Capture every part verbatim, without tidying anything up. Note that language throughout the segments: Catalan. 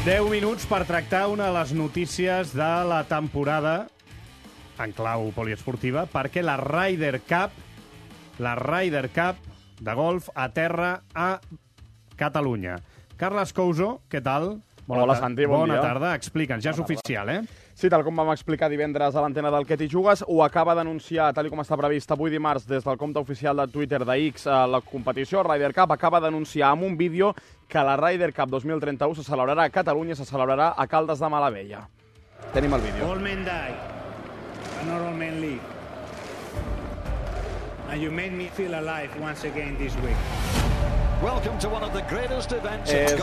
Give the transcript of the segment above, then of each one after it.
deu minuts per tractar una de les notícies de la temporada en clau poliesportiva, perquè la Ryder Cup, la Ryder Cup de golf aterra a Catalunya. Carles Couso, què tal? Bona Hola, Santi, bon Bona dia. tarda. Explica'ns, ja és oficial, eh? Sí, tal com vam explicar divendres a l'antena del Que t'hi jugues, ho acaba d'anunciar, tal com està previst avui dimarts, des del compte oficial de Twitter de X, la competició Ryder Cup acaba d'anunciar amb un vídeo que la Ryder Cup dos mil trenta-u se celebrarà a Catalunya, se celebrarà a Caldes de Malavella. Tenim el vídeo. All men die, but not all men live. And you made me feel alive once again this week. És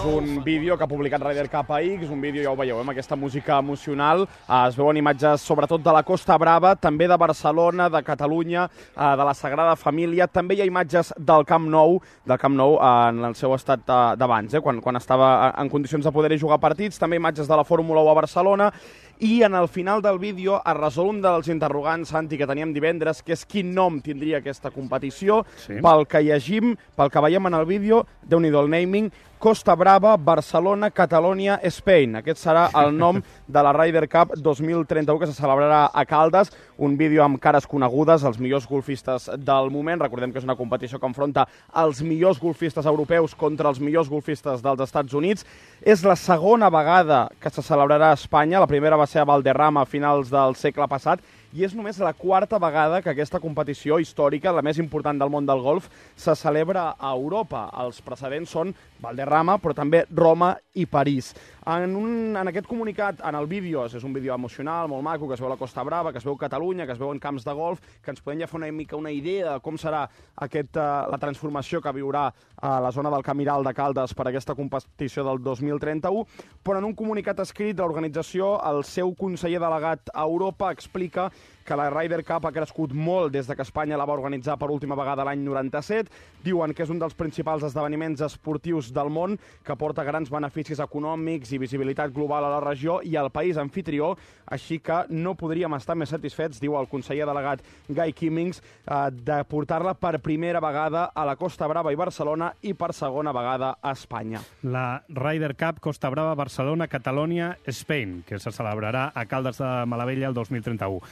un vídeo que ha publicat Ryder Cup a X, un vídeo, ja ho veieu, amb aquesta música emocional. Es veuen imatges sobretot de la Costa Brava, també de Barcelona, de Catalunya, de la Sagrada Família. També hi ha imatges del Camp Nou, del Camp Nou en el seu estat d'abans, eh, quan, quan estava en condicions de poder jugar partits. També imatges de la Fórmula u a Barcelona. I en el final del vídeo es resol un dels interrogants, Santi, que teníem divendres, que és quin nom tindria aquesta competició. Sí. Pel que llegim, pel que veiem en el vídeo, déu-n'hi-do el naming, Costa Brava, Barcelona, Catalonia, Spain. Aquest serà el nom de la Ryder Cup dos mil trenta-u, que se celebrarà a Caldes. Un vídeo amb cares conegudes, els millors golfistes del moment. Recordem que és una competició que enfronta els millors golfistes europeus contra els millors golfistes dels Estats Units. És la segona vegada que se celebrarà a Espanya. La primera va ser a Valderrama a finals del segle passat. I és només la quarta vegada que aquesta competició històrica, la més important del món del golf, se celebra a Europa. Els precedents són Valderrama, però també Roma i París. En, un, en aquest comunicat, en el vídeo, és un vídeo emocional, molt maco, que es veu la Costa Brava, que es veu Catalunya, que es veuen camps de golf, que ens podem ja fer una mica una idea de com serà aquest, uh, la transformació que viurà a la zona del Camiral de Caldes per aquesta competició del dos mil trenta-u, però en un comunicat escrit, l'organització, el seu conseller delegat a Europa, explica que la Ryder Cup ha crescut molt des de que Espanya la va organitzar per última vegada l'any noranta-set. Diuen que és un dels principals esdeveniments esportius del món, que porta grans beneficis econòmics i visibilitat global a la regió i al país anfitrió, així que no podríem estar més satisfets, diu el conseller delegat Guy Kimmings, eh, de portar-la per primera vegada a la Costa Brava i Barcelona i per segona vegada a Espanya. La Ryder Cup Costa Brava, Barcelona, Catalonia, Spain, que se celebrarà a Caldes de Malavella el dos mil trenta-u.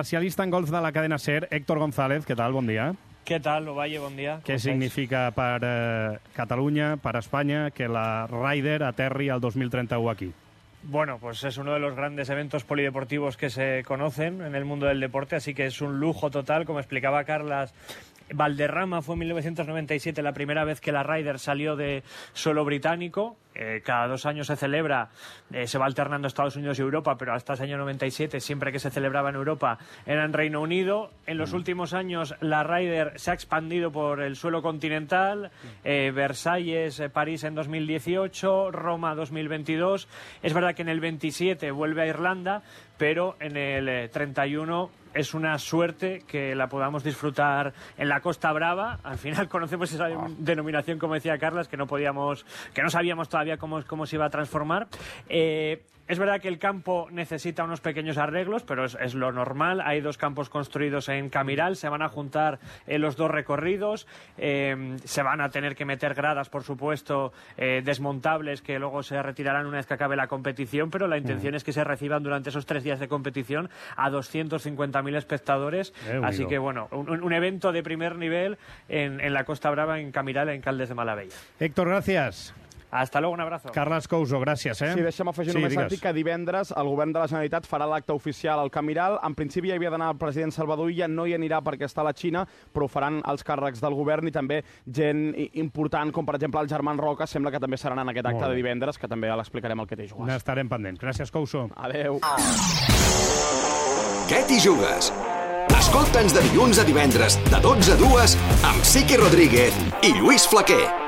Especialista en golf de la cadena SER, Héctor González, què tal? Bon dia. Què tal, Ovalle? Bon dia. Què significa per eh, Catalunya, per Espanya, que la Ryder aterri al dos mil trenta-u aquí? Bueno, pues es uno de los grandes eventos polideportivos que se conocen en el mundo del deporte, así que es un lujo total, como explicaba Carlas. Valderrama fue en mil novecientos noventa y siete la primera vez que la Ryder salió de suelo británico. Eh, cada dos años se celebra, eh, se va alternando Estados Unidos y Europa, pero hasta ese año noventa y siete, siempre que se celebraba en Europa, era en Reino Unido. En los últimos años la Ryder se ha expandido por el suelo continental, eh, Versalles, eh, París en dos mil dieciocho, Roma dos mil veintidós. Es verdad que en el veintisiete vuelve a Irlanda, pero en el eh, treinta y uno es una suerte que la podamos disfrutar en la Costa Brava. Al final conocemos esa oh. denominación, como decía Carlas, que no podíamos, que no sabíamos todavía cómo, cómo se iba a transformar. Eh, Es verdad que el campo necesita unos pequeños arreglos, pero es, es lo normal. Hay dos campos construidos en Camiral, se van a juntar eh, los dos recorridos, eh, se van a tener que meter gradas, por supuesto, eh, desmontables, que luego se retirarán una vez que acabe la competición, pero la intención mm. es que se reciban durante esos tres días de competición a doscientos cincuenta mil espectadores. Eh, Así que, bueno, un, un evento de primer nivel en, en la Costa Brava, en Camiral, en Caldes de Malavella. Héctor, gracias. Hasta luego, un abrazo. Carles Couso, gràcies. Eh? Sí, deixa'm afegir sí, només, Santi, que divendres el govern de la Generalitat farà l'acte oficial al Camiral. En principi hi havia d'anar el president Salvador Illa, no hi anirà perquè està a la Xina, però ho faran els càrrecs del govern i també gent important, com per exemple el Germán Roca, sembla que també seran en aquest acte de divendres, que també l'explicarem al Que t'hi jugues. N'estarem pendents. Gràcies, Couso. Adéu. Que t'hi jugues? Escolta'ns de dilluns a divendres, de dotze a dues, amb Siqui Rodríguez i Lluís Flaquer.